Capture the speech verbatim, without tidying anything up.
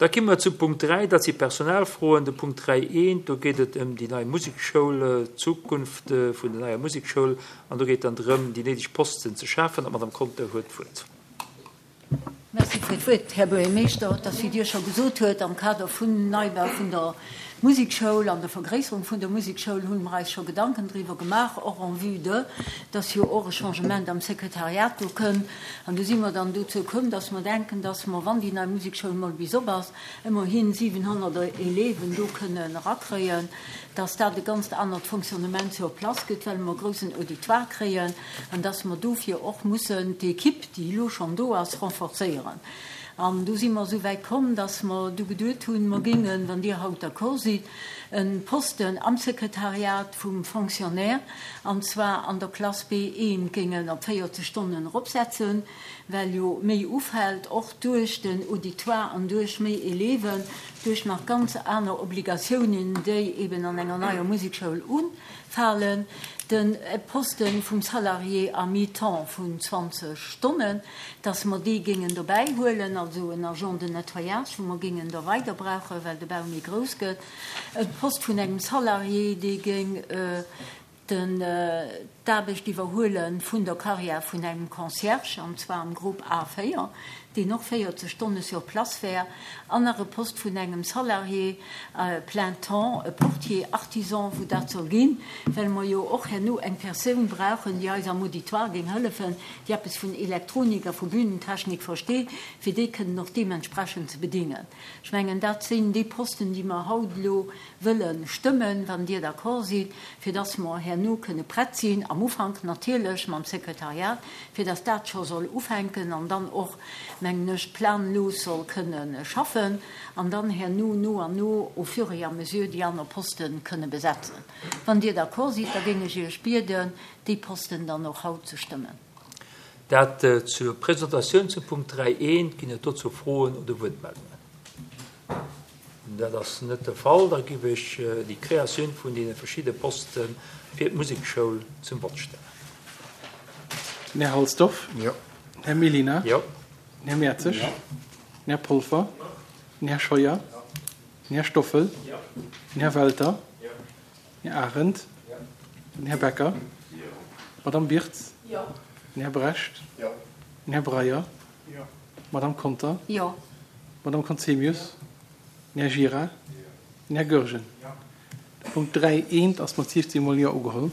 Da komme mer zu Punkt dräi, dat si Personalfroen. De Punkt dräi eent, do geet et ëm déi nei Musekschoul, d'Zukunft vun der neier Musekschoul, an do geet dann drëm, déi néideg Posten ze schafen. An d'Madame Conter huet d'Wuert. Merci fir d'Wuert, Här Buergermeeschter. Et ass, wéi Dir scho gesot huet, am Kader vun Neibau vun der Musekschoul an der Vergréisserung vun der Musekschoul hu mer eis scho Gedanken driwwer gemaach, och en vue de, dass jo och e Changement am Sekretariat do kënn. An du si mer dann dozou komm, dass mer denken, dass mer, wann déi nei Musekschoul mol bis op ass, ëmmerhin siwenhonnert Élèven do kënnen erakréien, dass dat e ganzt anert Fonctionnement sur place gëtt, well mer e groussen Auditoire kréien, an dass mer dofir och mussen d'Equipe, déi elo schonn do ass, renforcéieren. An du si mer esou wäit komm, dass mer du geduet hunn, mer géingen, wann Dir haut d'accord sidd, e Posten am Sekretariat vum Fonctionnaire, an zwar an der Klass B eent, géingen op véierzeg Stonnen eropsetzen, well jo méi ufält, och duerch den Auditoire an duerch méi Élèven, duerch nach ganz aner Obligatiounen, déi eben an enger neier Musekschoul ufalen, de Poste vum Salarié à mi-temps vun zwanzeg Stonnen, dass mer dee géingen dobäi huelen, also en Agent de nettoyage, wou mer géingen da weider brauchen, well de Bau méi grouss gëtt, e Poste vun engem Salarié, dee géing den d'Aarbecht iwwerhuele vun der Carrière vun engem Concierge, an zwar am Grupp A véier, deen och véierzeg Stonne sur place wär, an nach e Poste vun engem Salarié plein temps, e Portier artisan, wou dat soll ginn, well mer jo och herno eng Persoun brauchen, déi eis am Auditoire géing hëllefen, déi eppes vun Elektronik a vu Bühnentechnik versteet, fir déi kënnen och deementsprechend ze bedingen. Ech mengen, dat sinn déi Posten, déi mer haut elo wëlle stëmmen, wann Dir d'accord sidd, fir dass mer herno kënne prett sinn, am Ufank natierlech mam Sekretariat, fir dass dat scho soll ufänken an dann och, mengen ech, planlos soll kënne schaffen an dann herno no an no au fur et à mesure déi aner Poste kënne besetzen. Wann Dir d'accord sidd, da géing ech Iech bieden, déi Posten dann och haut ze stëmmen. Dat zur Presentatioun zum Punkt dräi eent. Ginn et dozou Froen oder Wuertmeldungen? Dat ass net de Fall. Da giff ech déi Kreatioun vun deene verschidde Poste fir d'Musekschoul zum Vott stellen. Den Här Halsdorf. Jo. Den Här Mellina. Jo. Den Här Mertzig. Jo. Den Här Polfer. Jo. Den Här Scheuer. Jo. Den Här Stoffel. Jo. Den Här Welter. Jo. Den Här Arendt. Jo. Den Här Becker. Jo. D'Madame Birtz. Jo. Den Här Brecht. Jo. Den Här Breyer. Jo. D'Madame Conter. Jo. D'Madame Conzemius. Den Här Gira. Jo. Den Här Goergen. Jo. De Punkt dräi eent ass mat siefzehn Mol Jo ugeholl.